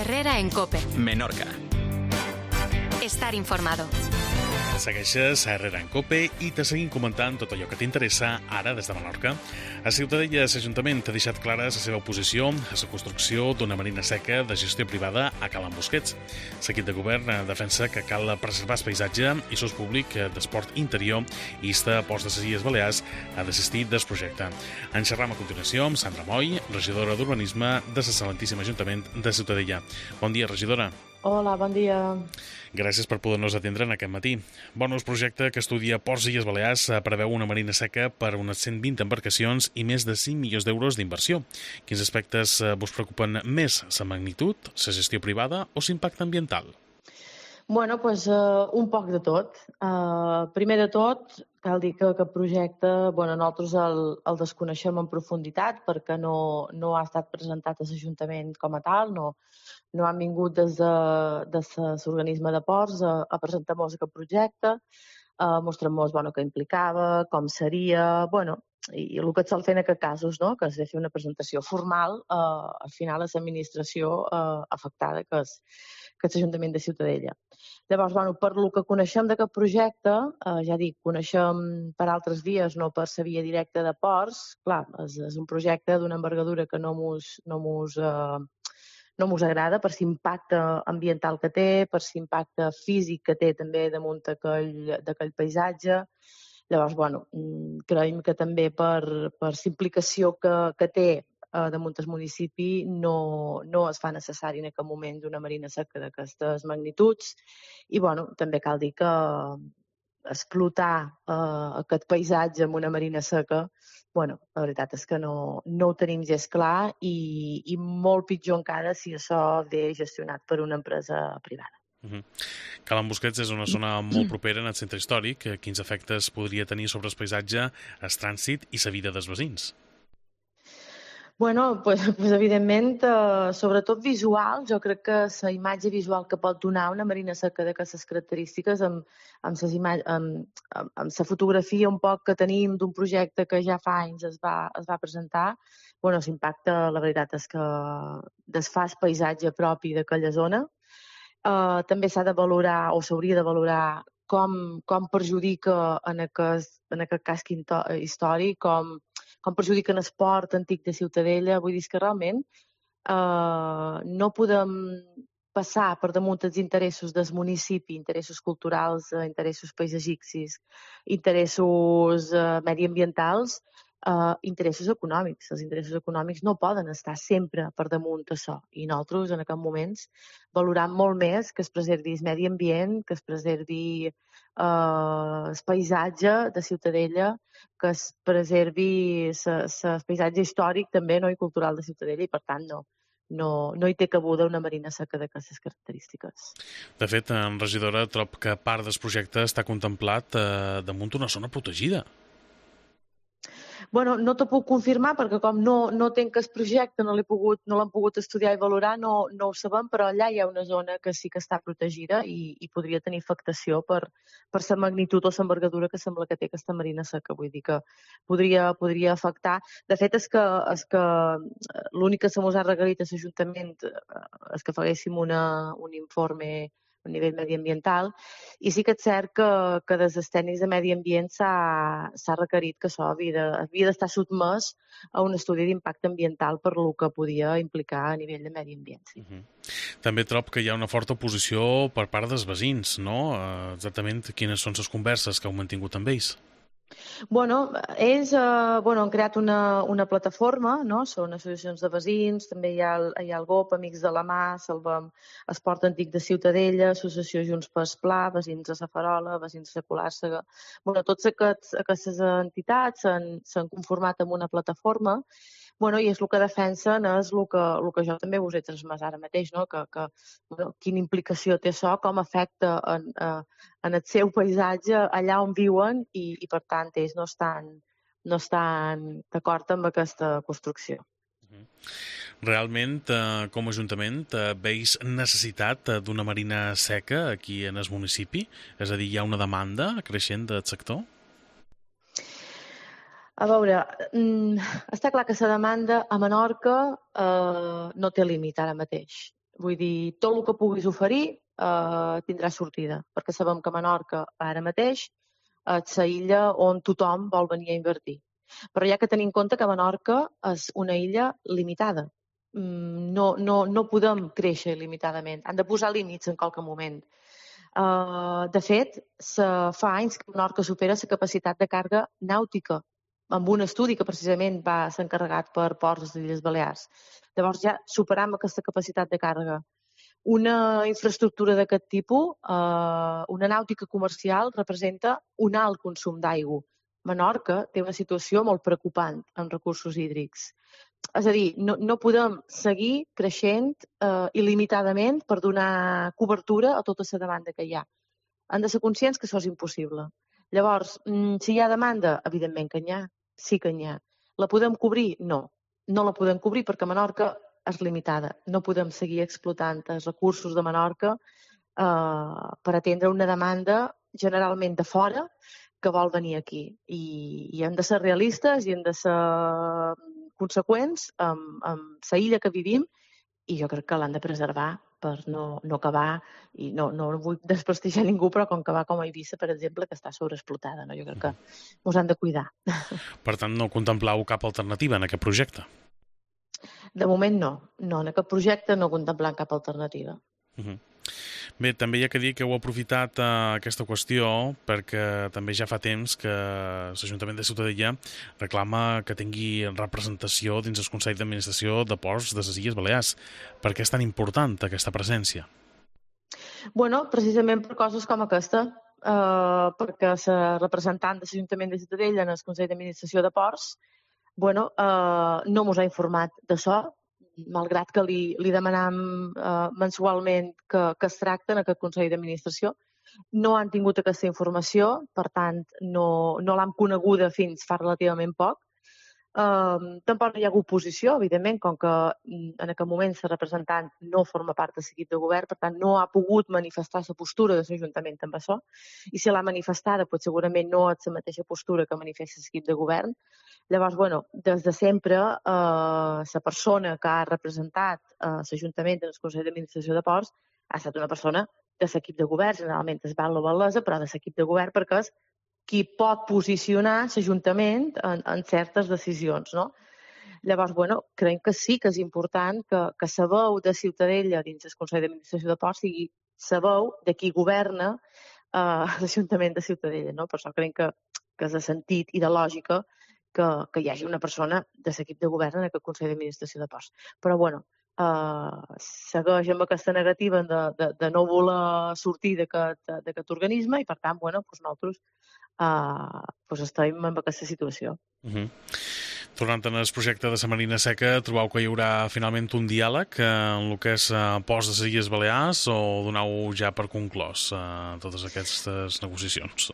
Herrera en COPE. Menorca. Estar informado. Segueixes a Herrera en COPE i te seguim comentant tot allò que t'interessa ara des de Menorca. A Ciutadella, l'Ajuntament ha deixat clara la seva oposició a la construcció d'una marina seca de gestió privada a Cala Busquets. L'equip de govern defensa que cal preservar el paisatge i l'ús públic d'esport interior i insta a Ports de les Illes Balears a desistir del projecte. En xerram a continuació amb Sandra Moll, regidora d'Urbanisme de l'Excel·lentíssim Ajuntament de Ciutadella. Bon dia, regidora. Hola, bon dia. Gràcies per poder-nos atendre en aquest matí. Bonus projecte que estudia Ports i Illes Balears preveu una marina seca per unes 120 embarcacions i més de 5 milions d'euros d'inversió. Quins aspectes vos preocupen més, la magnitud, la gestió privada o l'impacte ambiental? Bueno, doncs un poc de tot. Primer de tot, cal dir que aquest projecte, nosaltres el desconeixem en profunditat perquè no ha estat presentat a l'Ajuntament com a tal, no han vingut des de l'organisme de ports a presentar-nos aquest projecte, mostrant-nos què implicava, com seria, i el que et sol fer en aquests casos, no? Que és de fer una presentació formal, al final a l'administració afectada, que és l'Ajuntament de Ciutadella. Llavors, per el que coneixem d'aquest projecte, ja dic, coneixem per altres vies, no per la via directa de ports. Clar, és un projecte d'una envergadura que no mos agrada per l'impacte ambiental que té, per l'impacte físic que té també damunt d'aquell paisatge. Llavors, creiem que també per l'implicació que té damunt el municipi no es fa necessari en aquest moment una marina seca d'aquestes magnituds i també cal dir que explotar aquest paisatge amb una marina seca, la veritat és que no ho tenim gens clar i molt pitjor encara si això ve gestionat per una empresa privada. Cala Busquets és una zona molt propera en el centre històric. Quins efectes podria tenir sobre el paisatge, el trànsit i la vida dels veïns? Evidentment, sobretot visual, jo crec que la imatge visual que pot donar una marina seca d'aquestes característiques amb la fotografia un poc que tenim d'un projecte que ja fa anys es va presentar, l'impacte, la veritat és que desfà el paisatge propi d'aquella zona. També s'ha de valorar o s'hauria de valorar com perjudica en aquest casc històric, com perjudica l'esport antic de Ciutadella. Vull dir que realment no podem passar per damunt els interessos del municipi, interessos culturals, interessos paisatgístics, interessos mediambientals, interessos econòmics. Els interessos econòmics no poden estar sempre per damunt d'això. I nosaltres, en aquests moments, valorem molt més que es preservi el medi ambient, que es preservi el paisatge de Ciutadella, que es preservi el paisatge històric també i cultural de Ciutadella i, per tant, no hi té cabuda una marina seca d'aquestes característiques. De fet, regidora, trob que part del projecte està contemplat damunt una zona protegida. No t'ho puc confirmar perquè com no tenc el projecte, no l'hem pogut estudiar i valorar, no ho sabem, però allà hi ha una zona que sí que està protegida i podria tenir afectació per la magnitud o l'envergadura que sembla que té aquesta marina seca. Vull dir que podria afectar. De fet, és que l'únic que se mos ha requerit a l'Ajuntament és que faguéssim un informe a nivell mediambiental, i sí que és cert que des dels tècnics de medi ambient s'ha requerit que això havia d'estar sotmès a un estudi d'impacte ambiental per lo que podia implicar a nivell de medi ambient. Sí. També trob que hi ha una forta oposició per part dels veïns, no? Exactament quines són les converses que heu mantingut amb ells? Ells han creat una plataforma, no? Són associacions de veïns, també hi ha el GOP, Amics de la Mà, Salvem Esport Antic de Ciutadella, Associació Junts pel Pla, Veïns de la Farola, Veïns de Colàrsega. Totes aquestes entitats s'han conformat en una plataforma i és el que defensen, és el que jo també us he transmès ara mateix, no? Que quina implicació té això, com afecta en el seu paisatge allà on viuen i per tant ells no estan d'acord amb aquesta construcció. Realment, com a Ajuntament, veus necessitat d'una marina seca aquí en el municipi? És a dir, hi ha una demanda creixent del sector? A veure, està clar que la demanda a Menorca no té límit ara mateix. Vull dir, tot el que puguis oferir tindrà sortida, perquè sabem que Menorca ara mateix és la illa on tothom vol venir a invertir. Però hi ha que tenir en compte que Menorca és una illa limitada. No podem créixer il·limitadament. Han de posar límits en qualque moment. De fet, fa anys que Menorca supera la capacitat de càrrega nàutica, amb un estudi que precisament va ser encarregat per Ports de les Illes Balears. Llavors ja superam aquesta capacitat de càrrega. Una infraestructura d'aquest tipus, una nàutica comercial, representa un alt consum d'aigua. Menorca té una situació molt preocupant en recursos hídrics. És a dir, no podem seguir creixent il·limitadament per donar cobertura a tota la demanda que hi ha. Han de ser conscients que això és impossible. Llavors, si hi ha demanda, evidentment que n'hi ha, sí que n'hi ha. La podem cobrir? No. No la podem cobrir perquè Menorca és limitada. No podem seguir explotant els recursos de Menorca per atendre una demanda generalment de fora que vol venir aquí. I hem de ser realistes i hem de ser conseqüents amb la illa que vivim i jo crec que l'han de preservar per no acabar, i no vull desprestigiar ningú, però com que va com a Eivissa, per exemple, que està sobreexplotada, no? Jo crec que ens han de cuidar. Per tant, no contemplau cap alternativa en aquest projecte? De moment no. No, en aquest projecte no contemplem cap alternativa. Bé, també hi ha que dir que heu aprofitat aquesta qüestió perquè també ja fa temps que l'Ajuntament de Ciutadella reclama que tingui representació dins el Consell d'Administració de Ports de les Illes Balears. Per què és tan important aquesta presència? Bueno, precisament per coses com aquesta, perquè la representant de l'Ajuntament de Ciutadella en el Consell d'Administració de Ports no ens ha informat d'això, malgrat que li demanam mensualment que es tracta en aquest Consell d'Administració. No han tingut aquesta informació, per tant, no l'han coneguda fins fa relativament poc. Tampoc no hi ha hagut oposició, evidentment, com que en aquest moment la representant no forma part del equip de govern, per tant, no ha pogut manifestar la postura de l'Ajuntament amb això, i si l'ha manifestada, doncs segurament no és la mateixa postura que manifesta l'equip de govern. Llavors, des de sempre, la persona que ha representat l'Ajuntament en el Consell d'Administració de Ports ha estat una persona de l'equip de govern, generalment es val la Valesa, però de l'equip de govern, perquè és qui pot posicionar l'Ajuntament en certes decisions, no? Llavors, creiem que sí que és important que la veu de Ciutadella dins el Consell d'Administració de Ports sigui la veu de qui governa l'Ajuntament de Ciutadella, no? Per això creiem que és de sentit i de lògica que hi hagi una persona de l'equip de govern en aquest Consell d'Administració de Ports. Però, segueix amb aquesta negativa de no voler sortir d'aquest organisme i, per tant, nosaltres estem en aquesta situació. Tornant al projecte de la Marina Seca, trobeu que hi haurà finalment un diàleg en el que és Ports de les Illes Balears o donau ja per conclòs totes aquestes negociacions?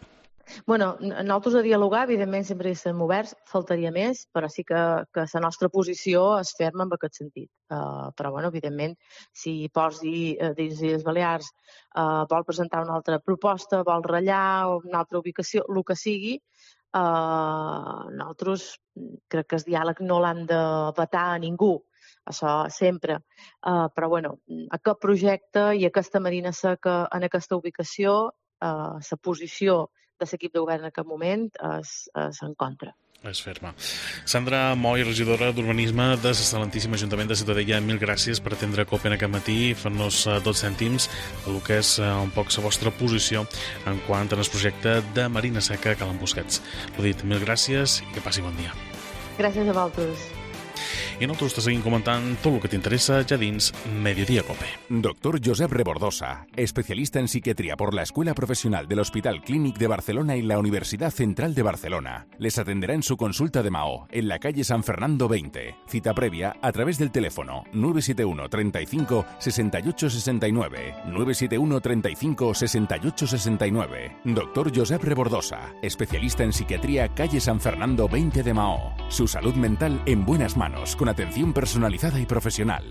Nosaltres a dialogar, evidentment, sempre hi estem oberts, faltaria més, però sí que la nostra posició és ferma en aquest sentit. Però, evidentment, si Ports de les Illes Balears vol presentar una altra proposta, vol ratllar o una altra ubicació, el que sigui, nosaltres crec que el diàleg no l'han de vetar a ningú, això sempre. Però, aquest projecte i aquesta Marina Seca en aquesta ubicació, la posició de l'equip de govern en aquest moment és en contra. És ferma. Sandra Moll, regidora d'Urbanisme de l'excel·lentíssim Ajuntament de Ciutadella, mil gràcies per atendre COPE en aquest matí i fer-nos 2 cèntims del que és un poc la vostra posició en quant al projecte de Marina Seca a Cala Busquets. L'ho dit, mil gràcies i que passi bon dia. Gràcies a vosaltres. I nosaltres te seguim comentant tot el que t'interessa ja dins Mediodía Cope. Doctor Josep Rebordosa, especialista en psiquiatría por la Escuela Profesional del Hospital Clínic de Barcelona y la Universidad Central de Barcelona. Les atenderá en su consulta de Mahó, en la calle San Fernando 20. Cita previa a través del teléfono 971 35 68 69. 971 35 68 69. Doctor Josep Rebordosa, especialista en psiquiatría, calle San Fernando 20 de Mahó. Su salud mental en buenas manos, con atención personalizada y profesional.